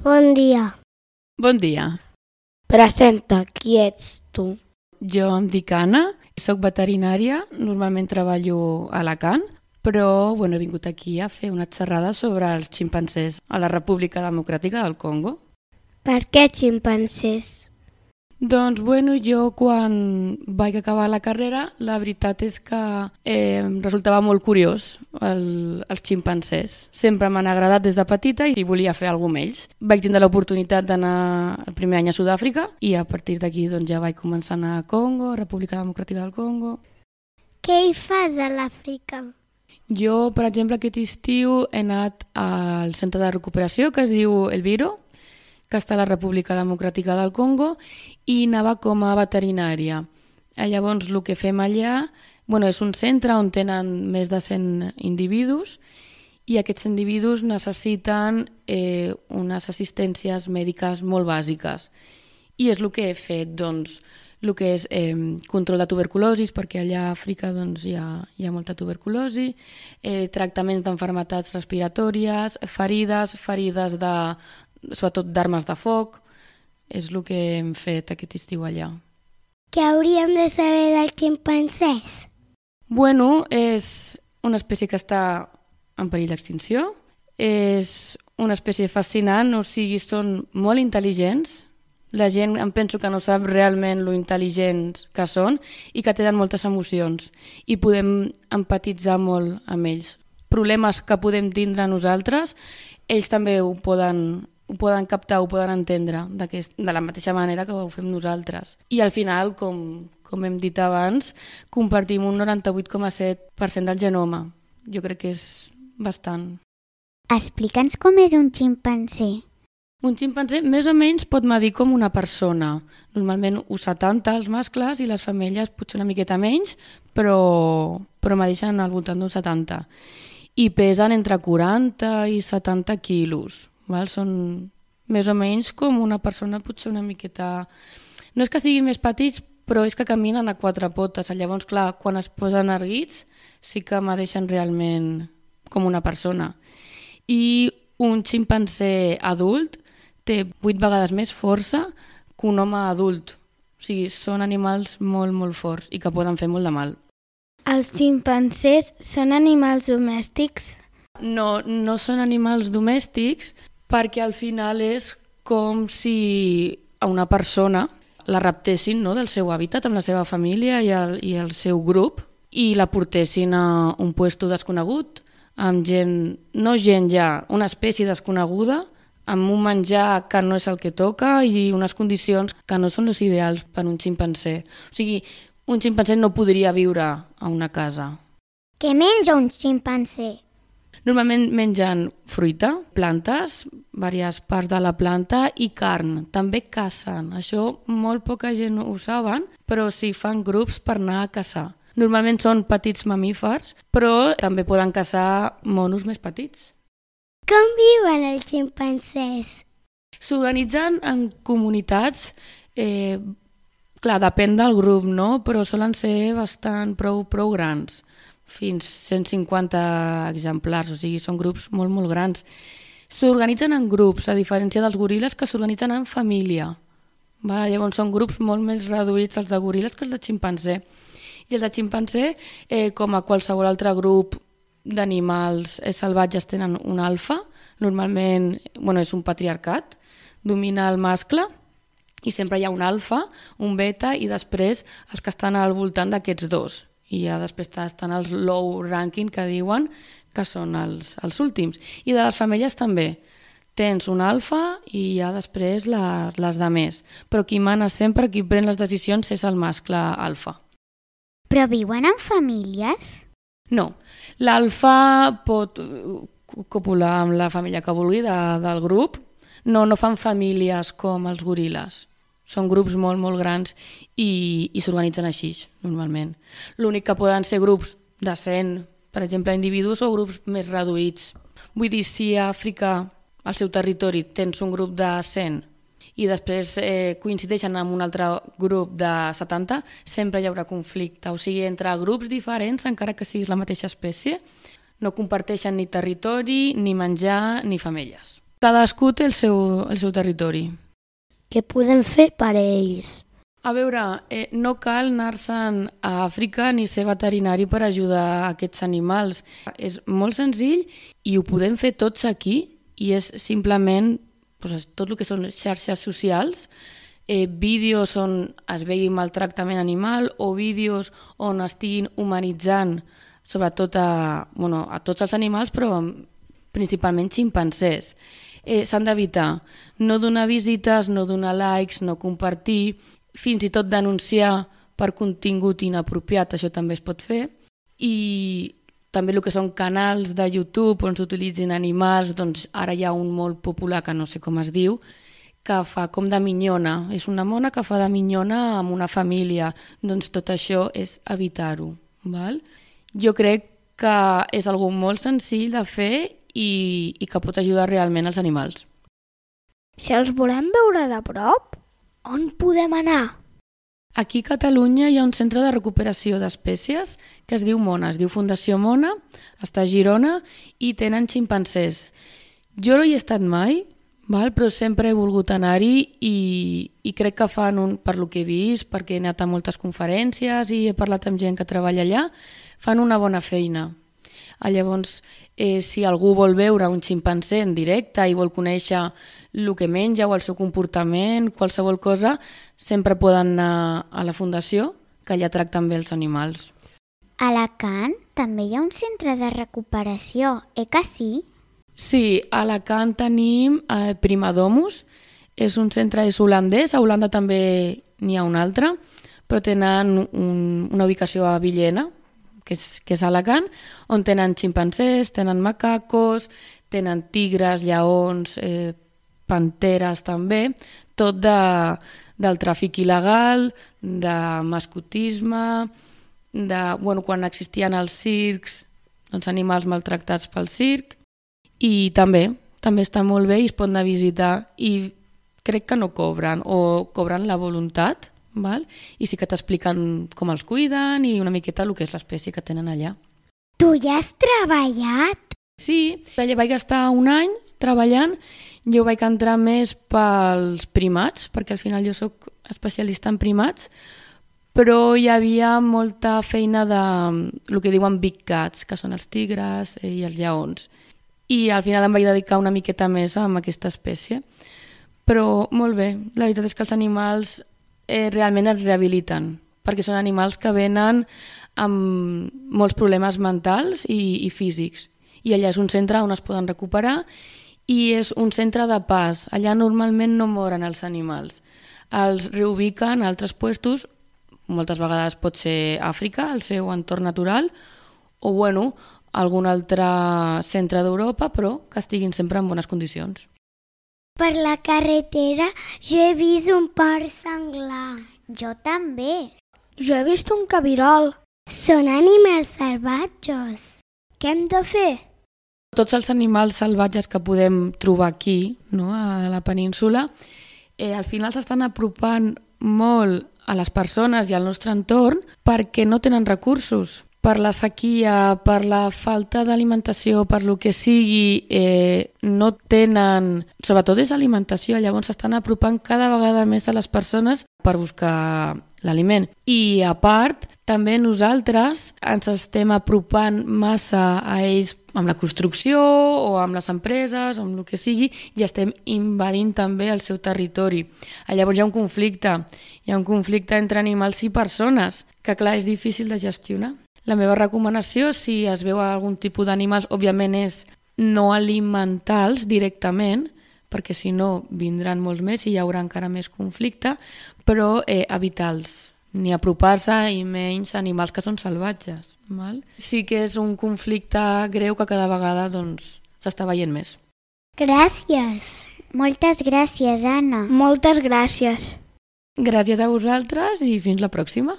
Bon dia. Bon dia. Presenta, qui ets tu? Jo em dic Anna, soc veterinària, normalment treballo a Alacant, però he vingut aquí a fer una xerrada sobre els ximpancers a la República Democràtica del Congo. Per què ximpancers? Doncs jo quan vaig acabar la carrera, la veritat és que em resultava molt curiós els ximpancers. Sempre m'han agradat des de petita i volia fer alguna amb ells. Vaig tindre l'oportunitat d'anar el primer any a Sud-àfrica i a partir d'aquí ja vaig començar a anar a Congo, República Democràtica del Congo. Què hi fas a l'Àfrica? Jo, per exemple, aquest estiu he anat al centre de recuperació que es diu El Biro, que està a la República Democràtica del Congo, i anava com a veterinària. Llavors, el que fem allà és un centre on tenen més de 100 individus i aquests individus necessiten unes assistències mèdiques molt bàsiques. I és el que he fet, el que és control de tuberculosi, perquè allà a Àfrica hi ha molta tuberculosi, tractaments d'enfermetats respiratòries, ferides sobretot d'armes de foc, és el que hem fet aquest estiu allà. Què hauríem de saber dels ximpancers? És una espècie que està en perill d'extinció, és una espècie fascinant, són molt intel·ligents, la gent em penso que no sap realment lo intel·ligents que són i que tenen moltes emocions i podem empatitzar molt amb ells. Problemes que podem tindre nosaltres, ells també ho poden captar, ho poden entendre de la mateixa manera que ho fem nosaltres. I al final, com hem dit abans, compartim un 98,7% del genoma. Jo crec que és bastant. Explica'ns com és un ximpanzé. Un ximpanzé més o menys pot medir com una persona. Normalment 1,70 els mascles i les femelles potser una miqueta menys, però medeixen al voltant d'un 70. I pesen entre 40 i 70 quilos. Són més o menys com una persona, potser una miqueta... No és que siguin més petits, però és que caminen a 4 potes. Llavors, clar, quan es posen erguits, sí que medeixen realment com una persona. I un ximpanzé adult té 8 vegades més força que un home adult. O sigui, són animals molt, molt forts i que poden fer molt de mal. Els ximpancers són animals domèstics? No són animals domèstics, perquè al final és com si a una persona la raptessin del seu hàbitat amb la seva família i el seu grup i la portessin a un lloc desconegut, amb una espècie desconeguda, amb un menjar que no és el que toca i unes condicions que no són les ideals per a un ximpanzé. O sigui, un ximpanzé no podria viure a una casa. Què menja un ximpanzé? Normalment mengen fruita, plantes, diverses parts de la planta i carn. També cacen. Això molt poca gent ho saben, però sí fan grups per anar a caçar. Normalment són petits mamífers, però també poden caçar monos més petits. Com viuen els ximpancers? S'organitzen en comunitats, depèn del grup, però solen ser prou grans. Fins 150 exemplars, o sigui, són grups molt, molt grans. S'organitzen en grups, a diferència dels goril·les que s'organitzen en família. Llavors són grups molt més reduïts els de goril·les que els de ximpanzé. I els de ximpanzé, com a qualsevol altre grup d'animals salvatges, tenen un alfa, normalment és un patriarcat, domina el mascle, i sempre hi ha un alfa, un beta i després els que estan al voltant d'aquests dos. I ja després estan els low ranking que diuen que són els últims. I de les femelles també. Tens un alfa i ja després les de més. Però qui mana sempre, qui pren les decisions és el mascle alfa. Però viuen en famílies? No. L'alfa pot copular amb la família que vulgui del grup. No fan famílies com els goril·les. Són grups molt, molt grans i s'organitzen així, normalment. L'únic que poden ser grups de 100, per exemple, individus o grups més reduïts. Vull dir, si a Àfrica, al seu territori, tens un grup de 100 i després coincideixen amb un altre grup de 70, sempre hi haurà conflicte. O sigui, entre grups diferents, encara que siguis la mateixa espècie, no comparteixen ni territori, ni menjar, ni femelles. Cadascú té el seu territori. Què podem fer per ells? A veure, no cal anar-se'n a Àfrica ni ser veterinari per ajudar aquests animals. És molt senzill i ho podem fer tots aquí i és simplement tot el que són xarxes socials, vídeos on es vegi maltractament animal o vídeos on estiguin humanitzant sobretot a tots els animals, però principalment ximpancers. S'han d'evitar no donar visites, no donar likes, no compartir, fins i tot denunciar per contingut inapropiat, això també es pot fer, i també el que són canals de YouTube on s'utilitzin animals, doncs ara hi ha un molt popular, que no sé com es diu, que fa com de minyona. És una mona que fa de minyona amb una família. Doncs tot això és evitar-ho. Val? Jo crec que és algo molt senzill de fer i que pot ajudar realment els animals. Si els volem veure de prop, on podem anar? Aquí a Catalunya hi ha un centre de recuperació d'espècies que es diu Mona, es diu Fundació Mona, està a Girona i tenen ximpancers. Jo no hi he estat mai, però sempre he volgut anar-hi i crec que fan, per lo que he vist, perquè he anat a moltes conferències i he parlat amb gent que treballa allà, fan una bona feina. Llavors, si algú vol veure un ximpanzé en directe i vol conèixer el que menja o el seu comportament, qualsevol cosa, sempre poden anar a la fundació, que allà tracten bé els animals. A Alacant també hi ha un centre de recuperació, que sí? Sí, a Alacant tenim Primadomus, és un centre holandès, a Holanda també n'hi ha un altre, però tenen una ubicació a Villena, que és a Alacant, on tenen ximpancers, tenen macacos, tenen tigres, lleons, panteres també, tot del tràfic il·legal, de mascotisme, quan existien els circs, els animals maltractats pel circ, i també està molt bé i es pot anar a visitar i crec que no cobren o cobren la voluntat, i sí que t'expliquen com els cuiden i una miqueta el que és l'espècie que tenen allà. Tu ja has treballat? Sí, allà vaig estar un any treballant. Jo vaig entrar més pels primats, perquè al final jo sóc especialista en primats, però hi havia molta feina de el que diuen big cats, que són els tigres i els lleons. I al final em vaig dedicar una miqueta més a aquesta espècie. Però molt bé, la veritat és que els animals realment es rehabiliten, perquè són animals que venen amb molts problemes mentals i físics. I allà és un centre on es poden recuperar i és un centre de pas. Allà normalment no moren els animals. Els reubiquen a altres puestos, moltes vegades pot ser Àfrica, el seu entorn natural, o algun altre centre d'Europa, però que estiguin sempre en bones condicions. Per la carretera jo he vist un porc senglar. Jo també. Jo he vist un cabirol. Són animals salvatges. Què hem de fer? Tots els animals salvatges que podem trobar aquí, a la península, al final s'estan apropant molt a les persones i al nostre entorn perquè no tenen recursos. Per la sequia, per la falta d'alimentació, per lo que sigui, no tenen... Sobretot és alimentació, llavors s'estan apropant cada vegada més a les persones per buscar l'aliment. I a part, també nosaltres ens estem apropant massa a ells amb la construcció o amb les empreses o amb el que sigui i estem invadint també el seu territori. Llavors hi ha un conflicte entre animals i persones que clar és difícil de gestionar. La meva recomanació, si es veu algun tipus d'animals, òbviament és no alimentar-los directament, perquè si no vindran molts més i hi haurà encara més conflicte, però evitar-los, ni apropar-se i menys animals que són salvatges. Sí que és un conflicte greu que cada vegada s'està veient més. Gràcies. Moltes gràcies, Anna. Moltes gràcies. Gràcies a vosaltres i fins la pròxima.